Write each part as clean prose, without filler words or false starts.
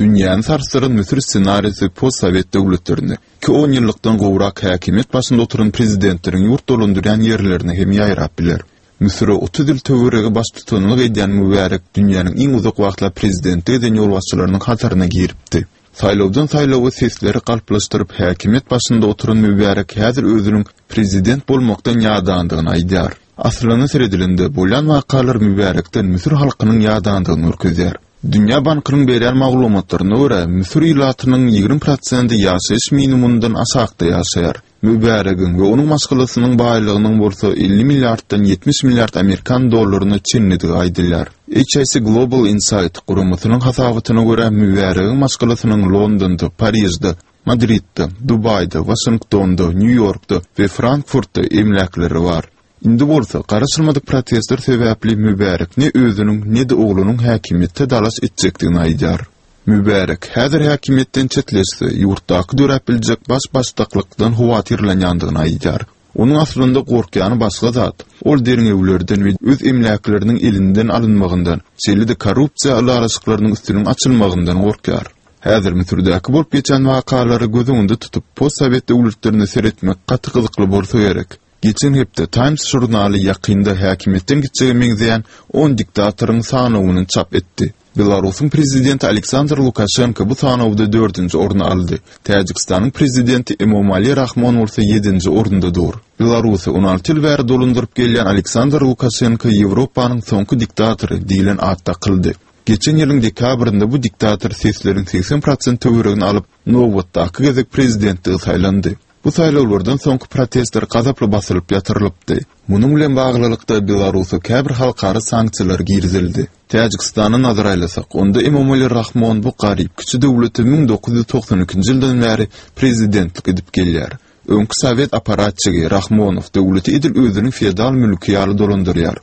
Dünýäni sarsdyran Müsür ssenarisi postsowet döwletlerinde, ki onýyllykdan gowrak häkimiýet başynda oturan prezidentleriň ýurt dolandyrýan ýerlerine hem ýaýrap biler. Müsüre 30 ýyl töweregi baştutanlyk edýän Mübärek dünýäniň iň uzak wagtlap prezidentlik eden ýolbaşçylarynyň hataryna giripdi. Saýlawdan saýlawa sesleri galplaşdyryp häkimiýet başynda oturan Mübärek häzir özüniň prezident bolmakdan ýadandygyny aýdýar. Aslyna seredilende, bolýan wakalar Mübärekden müsür halkynyň ýadandygyny görkezýär. Dünýä bankynyň berýän maglumatlaryna görä, müsür ilatynyň 20 prosendi ýaşaýyş minimumyndan aşakda ýaşaýar. Mübäregiň we onuň maşgalasynyň baýlygynyň bolsa 50 milliarddan 70 milliard amerikan dollaryna çenlidigi aýdylýar. HIC Global Insight guramasynyň hasabatyna görä, Mübäregiň maşgalasynyň Londonda, Parižde, Madridde, Dubaýda, Waşingtonda, Nýu-Ýorkda we Frankfurtda emläkleri bar. Indi bolsa, garaşylmadyk protestler sebäpli Mübärek ne özüniň, ne-de oglunyň häkimiýetde dalaş etjekdigini aýdýar. Mübärek, häzir häkimiýetden çetleşse, ýurtdaky döräp biljek baş-başdaklykdan howatyrlanýandygyny aýdýar. Onuň aslynda gorkýany başga zat, ol derňewlerden we öz emläkleriniň elinden alynmagyndan, şeýle-de korrupsiýa ylalaşyklarynyň üstüniň açylmagyndan gorkýar. Häzir Müsürdäki bolup geçen wakalary göz öňünde tutup, postsowet döwletlerine seretmek gaty gyzykly bolsa gerek. Geçen hepde Times žurnaly ýakynda häkimiýetden gitjege meňzeýän on diktatoryň sanawyny çap etdi. Belarusyň prezidenti Aleksandr Lukaşenko bu sanawda dördünji orny aldy. Täjigistanyň prezidenti Emomali Rahmon bolsa ýedinji orunda dur. Belarusy 16 ýyl bäri dolandyryp gelýän Aleksandr Lukaşenko Ýewropanyň soňky diktatory diýlen at dakyldy. Geçen ýylyň dekabrynda bu diktator sesleriň 80 prosent töweregini alyp, nobatdaky gezek prezidentligi saýlandy. Bu saýlawlardan soňky protestler gazaply basylyp ýatyrylypdy. Munuň bilen baglylykda Belarusa käbir halkara sanksiýalar girizildi. Täjigistana nazar aýlasak, onda Emomali Rahmon bu garyp kiçi döwlete 1992-nji ýyldan bäri prezidentlik edip gelýär. Öňki sowet apparatçigi Rahmonow döwleti edil özüniň feodal mülki ýaly dolandyrýar.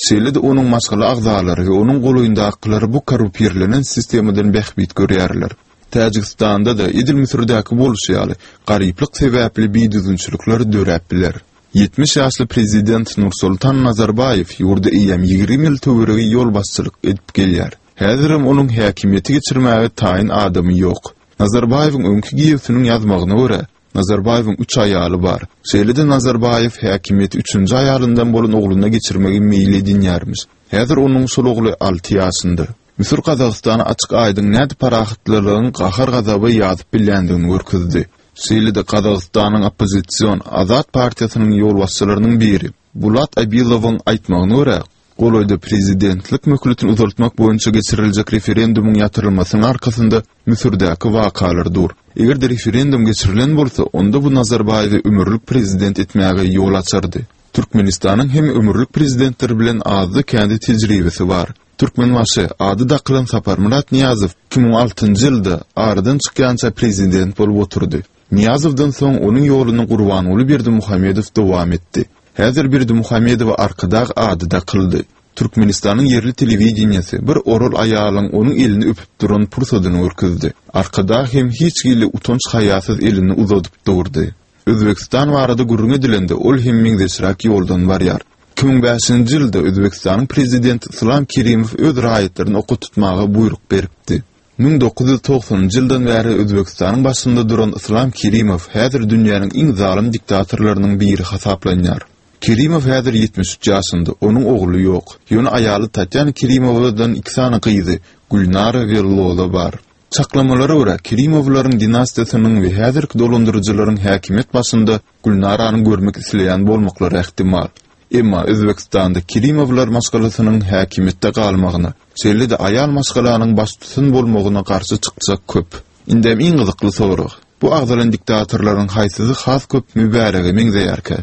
Şeýle-de onuň maşgala agzalary we onuň golaýyndakylary bu korrupirlenen sistemadan bähbit görýärler. Täjigistanda-da, edil Müsürdäki bolşy ýaly, garyplyk sebäpli bidüzgünçilikler döräp biler. 70 ýaşly prezident Nursultan Nazarbaýew ýurda eýýäm 20 ýyl töweregi ýolbaşçylyk edip gelýär. Häzirem onuň häkimiýeti geçirmäge taýyn adamy ýok. Nazarbaýewiň öňki giýewsiniň ýazmagyna görä, Nazarbaýewiň üç aýaly bar. Şeýle-de Nazarbaýew häkimiýeti üçünji aýalyndan bolan ogluna geçirmegi meýil edinýärmiş. Häzir onuň şol ogly alty ýaşynda. Müsür Gazagystana açyk-aýdyň nädip parahatlylygyň gahar-gazaba ýazyp bilýändigini görkezdi. Şeýle-de Gazagystanyň oppozision Azat partiýasynyň ýolbaşçylarynyň biri Bulat Abilowyň aýtmagyna görä, golaýda prezidentlik möhletini uzaltmak boýunça geçiriljek referendumyň ýatyrylmasynyň arkasynda Müsürdäki wakalar dur. Eger-de referendum geçirilen bolsa, onda bu Nazarbaýewi ömürlik prezident etmäge ýol açardy. Türkmenistanyň hem ömürlik prezidentler bilen azda-kände tejribesi bar. Türkmenbaşy ady dakylan Saparmyrat Nyýazow 2006-njy ýylda aradan çykýança prezident bolup oturdy. Nyýazowdan soň onuň ýoluny Gurbanguly Berdimuhamedow dowam etdi. Häzir Berdimuhamedowa Arkadag ady dakyldy. Türkmenistanyň ýerli telewideniýesi bir oral aýalyň onuň elini öpüp duran pursadyny görkezdi. Arkadag hem hiç hili utanç-haýasyz elini uzadyp durdy. Özbegistan barada gürrüň edilende ol hem meňzeşräk ýoldan barýar. 2005-nji ýylda Özbegistanyň prezidenti Yslam Kerimow öz raýatlaryny oka tutmaga buýruk beripdi. 1990-njy ýyldan bäri Özbegistanyň başynda duran Yslam Kerimow häzir dünýäniň iň zalym diktatorlarynyň biri hasaplanýar. Kerimow häzir 73 ýaşynda, onuň ogly ýok. Ýöne aýaly Tatýana Kerimowadan iki sany gyzy, Gülnara we Lola bar. Çaklamalara görä, Kerimowlaryň dinastiýasynyň we häzirki dolandyryjylaryň häkimiýet başynda Gülnarany görmek isleýän bolmaklary ähtimal. Emma Özbegistanda Kerimowlar maşgalasynyň häkimiýetde galmagyna, şeýle-de aýal maşgalanyň baştutan bolmagyna garşy çykjak köp. Indem iň gyzykly sorag, bu agzalan diktatorlaryň haýsysy has köp Mübärege meňzeýärkä?